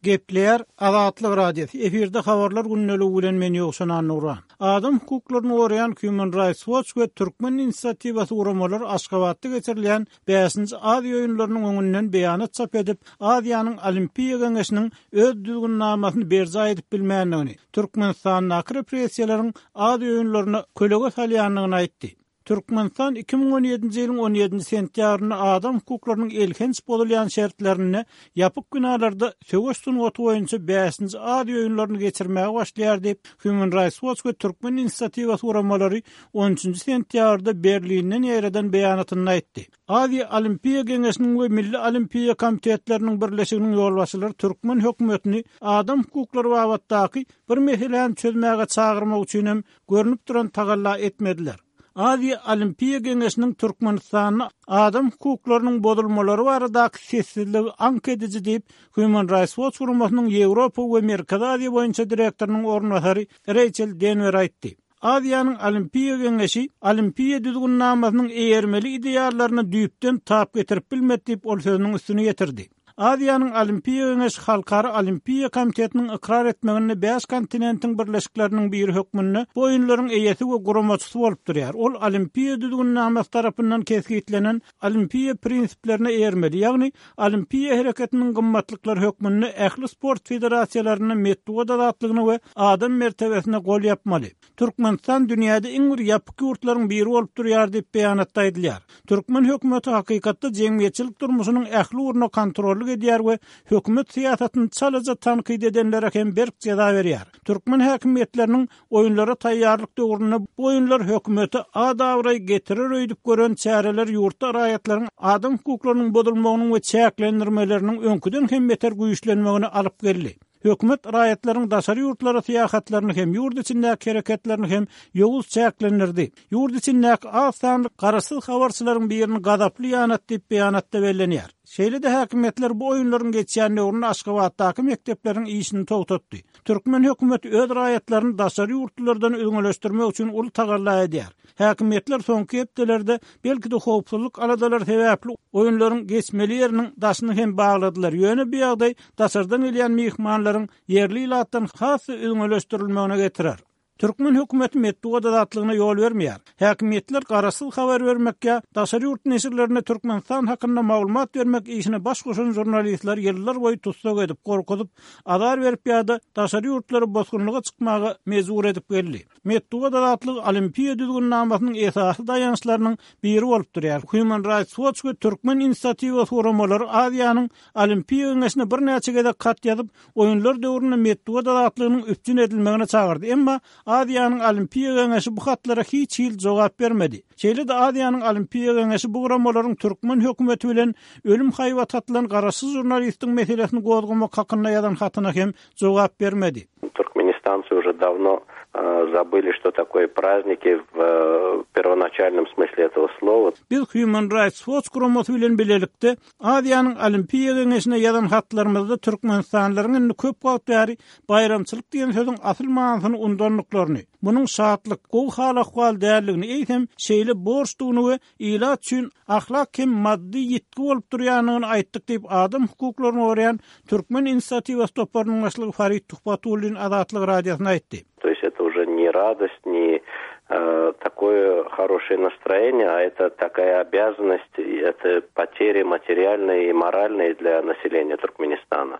Gepleýär Azatlyk Radiosy, efirde Habarlar gündeligi bilen men Ýowşan Annurhan. Adam hukuklaryny goraýan Human Rights Watch we Türkmen inisiatiwasy guramalary Aşgabatda geçirilýän Bäşinji Aziýa oýunlarynyň öňünden beýanat çap edip, Aziýanyň Olimpiýa Geňeşiniň öz düzgünnamasyny berjaý edip bilmändigini, Türkmenistandaky repressiýalaryň Aziýa oýunlaryna kölege salýandygyny aýtdy. Türkmenistan 2017-nji ýylyň on ýedinji sentýabrynda adam hukuklarynyň elhenç bozulýan şertlerinde ýapyk binalarda söweş sungaty boýunça bäşinji Aziýa oýunlaryny geçirmäge başlaýar diýip, Human Rights Watch we Türkmen inisiatiwasy guramalary on üçünji sentýabrda Berlinden ýaýradan beýanatynda aýtdy. Aziýa Olimpiýa Geňeşiniň we Milli Olimpiýa komitetleriniň birleşiginiň ýolbaşçylary türkmen hökümetini adam hukuklary babatdaky bir meseläni çözmäge çagyrmak üçin hem görnüp duran tagalla etmediler. Aziýa Olimpiýa Geňeşiniň Türkmenistanda adam hukuklarynyň bozulmalary baradaky sessizligi aňk ediji diýip, Human Rights Watch guramasynyň Ýewropa we Merkezi Aziýa boýunça direktorynyň orunbasary Reýçel Denwer aýtdy. Aziýanyň Olimpiýa Geňeşi Olimpiýa düzgünnamasynyň eýermeli ideallaryna düýpden tap getirip bilmedi diýip, ol sözüniň üstüni ýetirdi. Aziýanyň Olimpiýa Geňeşi Halkara Olimpiýa Komitetiniň ykrar etmeginde bäş kontinentiň birleşikleriniň biri hökmünde bu oýunlaryň eýesi we guramaçysy bolup durýar. Ol Olimpiýa düzgünnamasy tarapyndan kesgitlenen olimpiýa prinsiplerine eýermeli, ýagny olimpiýa hereketiniň gymmatlyklary hökmünde ähli sport federasiýalarynda metbugat azatlygyna we adam mertebesine gol ýapmaly. Türkmenistan dünýäde iň bir ýapyk ýurtlaryň biri bolup durýar diýip, beýanatda aýdylýar. Türkmen hökümeti hakykatda jemgyýetçilik durmuşynyň ähli ugruna kontrollyk edýär we hökümet syýasatyny çalaja tankyt edenlere hem berk jeza berýär. Türkmen häkimiýetleriniň oýunlara taýýarlyk döwründe bu oýunlar hökümete at-abraý getirer öýdüp gören çäreleri ýurtda raýatlaryň adam hukuklarynyň bozulmagynyň we çäklendirmeleriniň öňküden hem beter güýçlenmegine alyp geldi. Hökümet raýatlaryň daşary ýurtlara syýahatlaryny hem, ýurt içindäki hereketlerini hem ýowuz çäklendirdi. Ýurt içindäki az sanly garaşsyz habarçylaryň birini gazaply ýanatdy diýip, beýanatda bellenýär. Şeýle-de häkimiýetler bu oýunlaryň geçýän döwründe Aşgabatdaky mekdepleriň işini togtatdy. Türkmen hökümeti öz raýatlaryny daşary ýurtlulardan üzňeleşdirmek üçin uly tagalla edýär. Häkimiýetler soňky hepdelerde, belki-de howpsuzlyk aladalary sebäpli, oýunlaryň geçmeli ýeriniň daşyny hem bagladylar, ýöne bu ýagdaý daşardan gelýän myhmanlaryň ýerli ilatdan has-da üzňeleşdirilmegine getirer. Türkmen hökümeti metbugat azatlygyna ýol bermeýär. Häkimiýetler garaşsyz habar bermek ýa daşary ýurt neşirlerine Türkmenistan hakynda maglumat bermek işine baş goşan žurnalistleri ýyllar boýy tussag edip, gorkuzyp, azar berip ýa-da daşary ýurtlara bosgunlyga çykmaga mejbur edip geldi. Metbugat azatlygy Olimpiýa düzgünnamasynyň esasy daýançlarynyň biri bolup durýar. Human Rights Watch we Türkmen inisiatiwasy guramalary Aziýanyň Olimpiýa Geňeşine birnäçe gezek hat ýazyp, oýunlar döwründe metbugat azatlygynyň üpjün edilmegine çagyrdy. Emma Aziýanyň Olimpiýa Geňeşi bu hatlara hiç hili jogap bermedi. Şeýle-de Aziýanyň Olimpiýa Geňeşi bu guramalaryň türkmen hökümeti bilen ölüm haýbaty atylan garaşsyz žurnalistiň meselesini gozgamak hakynda ýazan hatyna hem jogap bermedi. Turkmenistanцы уже давно забыли, что такое праздники в первоначальном смысле этого слова. Biz Human Rights Watch guramasy bilen bilelikde Aziýanyň Olimpiýa Geňeşine ýazan hatlarymyzda türkmenistanlylaryň indi köp wagt bäri baýramçylyk diýen sözüň asyl manysyny undandyklaryny, munuň şatlyk, gowy hal-ahwal däldigini, eýsem, şeýle borçdugyny we ilat üçin ahlak hem maddy ýitgi bolup durýandygyny aýtdyk diýip, adam hukuklaryny goraýan Türkmen inisiatiwasy toparynyň başlygy Farid Tuhbatullin Azatlyk Radiosyna aýtdy. To ýest eto uje ne radost, ne takoe horoşee nastroeniýe, a eto takaýa obýazannost, eto poteri materialnyýe i moralnyýe dlýa naseleniýa Turkmenistana.